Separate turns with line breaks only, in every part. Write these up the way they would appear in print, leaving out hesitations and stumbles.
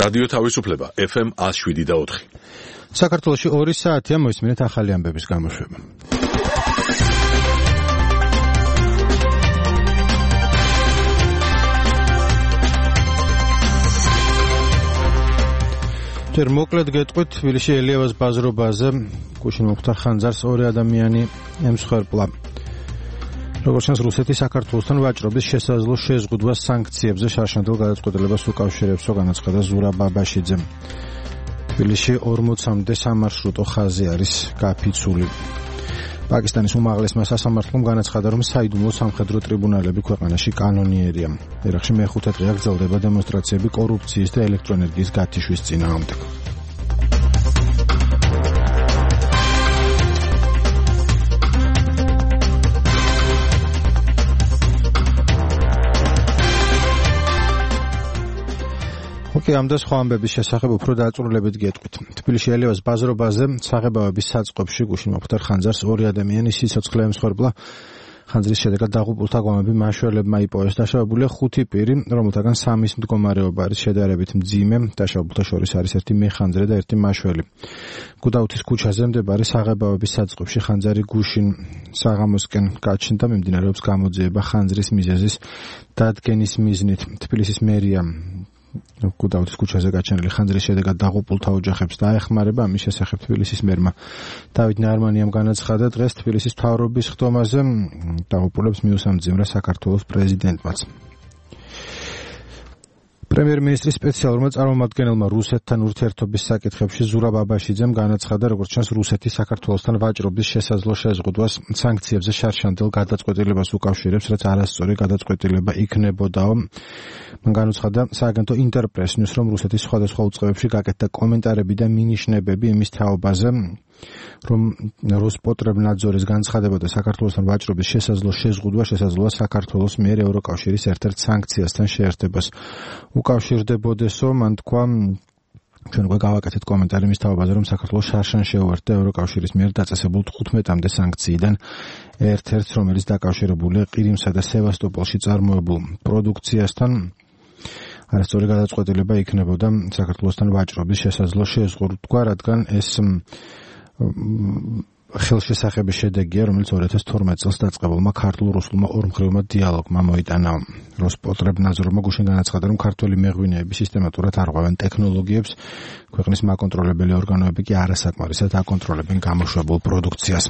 რადიო თავისუფლება FM 107.4.
საქართველოში 2 საათია მოისმინეთ ახალი ამბების გამოშვება. ჯერ მოკლედ გეტყვით, თბილისში ელიავას ბაზრობაზე გუშინ მუხტარ ხანძარს 2 ადამიანი ემსხვერპლა. როგორც ჩანს, რუსეთი საქართველოსთან ვაჭრობის შესაძლო შეზღუდვას სანქციებზე შარშანდელ გადაწყვეტილებას უკავშირებს, განაცხადა ზურა ბაბაშიძემ. თბილისში 40-მდე სამარშრუტო ხაზი არის გაფიცული. პაკისტანის უმაღლესმა სასამართლომ განაცხადა, რომ საიდუმლო სამხედრო ტრიბუნალები ქვეყანაში კანონიერია. ერაყში მეხუთე დღეა გრძელდება დემონსტრაციები კორუფციის და ელექტროენერგიის გათიშვის წინააღმდეგ. ამ და სხვა ამბების შესახებ უფრო დაწვრილებით გეტყვით. თბილისში ელიავას ბაზრობაზე საღებავების საწყობში გუშინ მუხტარ ხანძარს 2 ადამიანი სიცოცხლე ემსხვერპლა. ხანძრის შედეგად დაღუპულთა გვამები მაშველებმა იპოვეს. დაშავებულია 5 პირი, რომელთაგან 3-ის მდგომარეობა არის შედარებით მძიმე. დაშავებულთა შორის არის 1 მეხანძრე და 1 მაშველი. გუდაუთის ქუჩაზე მდებარე საღებავების საწყობში ხანძარი გუშინ საღამოსკენ გაჩნდა. მიმდინარეობს გამოძიება ხანძრის მიზეზის დადგენის მიზნით. თბილისის მერია გუდაუთის ქუჩაზე გაჩენილი ხანძრის შედეგად დაღუპულთა ოჯახებს დაეხმარება. ამის შესახებ თბილისის მერმა დავით ნარმანიამ განაცხადა დღეს თბილისის მთავრობის ხდომაზე დაღუპულებს მიუსამძიმრა საქართველოს პრეზიდენტმაც. პრემიერ-მინისტრის სპეციალურმა წარმომადგენელმა რუსეთთან ურთიერთობის საკითხებში ზურა ბაბაშიძემ განაცხადა, როგორც ჩანს, რუსეთი საქართველოსთან ვაჭრობის შესაძლო შეზღუდვას სანქციებზე შარშანდელ გადაწყვეტილებას უკავშირებს, რაც არასწორი გადაწყვეტილება იქნებოდაო. მან განაცხადა სააგენტო ინტერპრეს-ნიუს, რომ რუსეთის სხვადასხვა უწყებებში გაკეთდა კომენტარები და მინიშნებები იმის თაობაზე, რომ როსპოტრებნაძორის განცხადებოდა საქართველოსთან ვაჭრობის შესაძლო შეზღუდვა შესაძლოა საქართველოს მიერ ევროკავშირის ერთ-ერთ სანქციასთან შეერთებას უკავშირდებოდესო. მან თქვა, ჩვენ უკვე გავაკეთეთ კომენტარი იმის თაობაზე, რომ საქართველოს შარშან შეუერთდა ევროკავშირის მიერ დაწესებულ 15-მდე სანქციიდან ერთ-ერთს, რომელიც დაკავშირებულია ყირიმსა და სევასტოპოლში წარმოებულ პროდუქციასთან. არასწორი გადაწყვეტილება იქნებოდა საქართველოსთან ვაჭრობის შესაძლო შეზღუდვა, რადგან ეს ხელშესახების შედეგია, რომელიც 2012 წელს დაწყებულმა ქართულ-რუსულმა ორმხრივმა დიალოგმა მოიტანა. როსპოტრებნაძორმა გუშინ განაცხადა, რომ ქართველი მეღვინეები სისტემატურად არღვევენ ტექნოლოგიებს, ქვეყნის მაკონტროლებელი ორგანოები კი არასაკმარისად აკონტროლებენ გამოშვებულ პროდუქციას.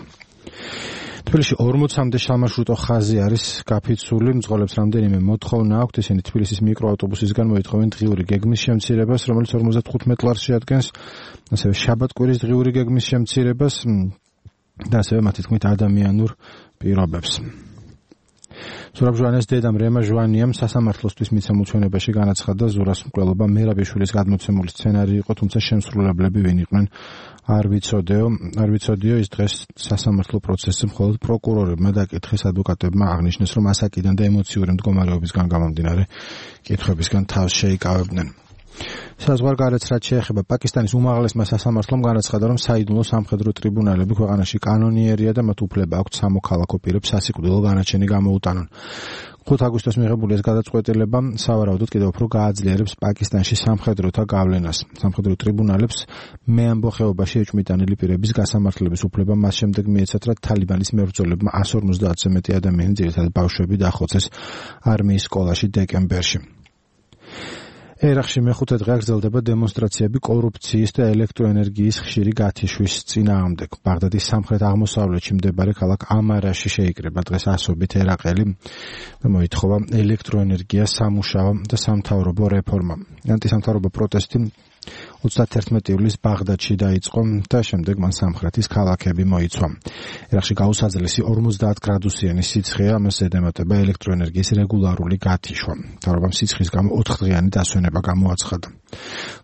თბილისში 40-მდე სამარშრუტო ხაზი არის გაფიცული. მძღოლებს რამდენიმე მოთხოვნა აქვთ. ისინი თბილისის მიკროავტობუსისგან მოითხოვენ დღიური გეგმის შემცირებას, რომელიც 55 ლარს შეადგენს, ასევე შაბათ-კვირის დღიური გეგმის შემცირებას და ასევე მათი თქმით ადამიანურ პირობებს. ზურაბ ჟვანეს დედამ რემა ჟვანიამ სასამართლოსთვის მიცემულ ჩვენებაში განაცხადა, ზურას მკვლელობა მერაბიშვილის გადმოცემული სცენარი იყო, თუმცა შემსრულებლები ვინ იყვნენ არ ვიცოდიო. ის დღეს სასამართლო პროცესზე მხოლოდ პროკურორებმა დაკითხეს, ადვოკატებმა აღნიშნეს, რომ ასაკიდან და ემოციური მდგომარეობისგან გამომდინარე კითხვებისგან თავს შეიკავებდნენ. საზღვარგარეთ რაც შეეხება პაკისტანის უმაღლესმა სასამართლომ განაცხადა, რომ საიდუმლო სამხედრო ტრიბუნალები ქვეყანაში კანონიერია და მათ უფლება აქვთ სამოქალაქო პირებს სასიკვდილო განაჩენი გამოუტანონ. 5 აგვისტოს მიღებული ეს გადაწყვეტილება სავარაუდოდ კიდევ უფრო გააძლიერებს პაკისტანში სამხედროთა გავლენას. სამხედრო ტრიბუნალებს მეამბო ხეობაში ეჭვმიტანილი პირების გასამართლების უფლება მას შემდეგ მიეცათ, რაც თალიბანის მებრძოლებმა 150-ზე მეტი ადამიანი, ძირითადად ბავშვები, დახოცეს არმიის სკოლაში დეკემბერში. ერაყში მეხუთე დღეა გრძელდება დემონსტრაციები კორუფციის და ელექტროენერგიის ხშირი გათიშვის წინააღმდეგ. ბაღდადის სამხრეთ-აღმოსავლეთში მდებარე ქალაქ ამარაში შეიკრება დღეს ასობით ერაყელი და მოითხოვა ელექტროენერგია, სამუშაო და სამთავრობო რეფორმა. ანტისამთავრობო პროტესტი 31 ივლისს ბაღდადში დაიწყო და შემდეგ მან სამხრეთის ქალაქები მოიცვა. ერაყში გაუსაძლესი 50 გრადუსიანი სიცხეა, ამას ედემატება ელექტროენერგიის რეგულარული გათიშვა. მთავრობამ სიცხის გამო 4 დღიანი დასვენება გამოაცხადა.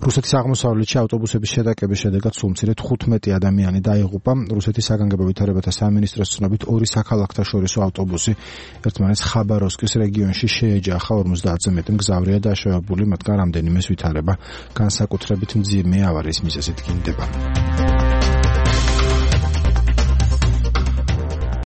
რუსეთის აღმოსავლეთში ავტობუსების შეტაკების შედეგად სულ მცირედ 15 ადამიანი დაიღუპა. რუსეთის საგანგებო ვითარებათა სამინისტროს ცნობით 2 საქალაქთაშორისო ავტობუსი ერთმანეთს ხაბაროვსკის რეგიონში შეეჯახა. 50-ზე მეტი მგზავრია დაშავებული, მათგან რამდენიმეს ვითარება განსაკუთრებით მძიმე ავარიის მიზეზით გინდება.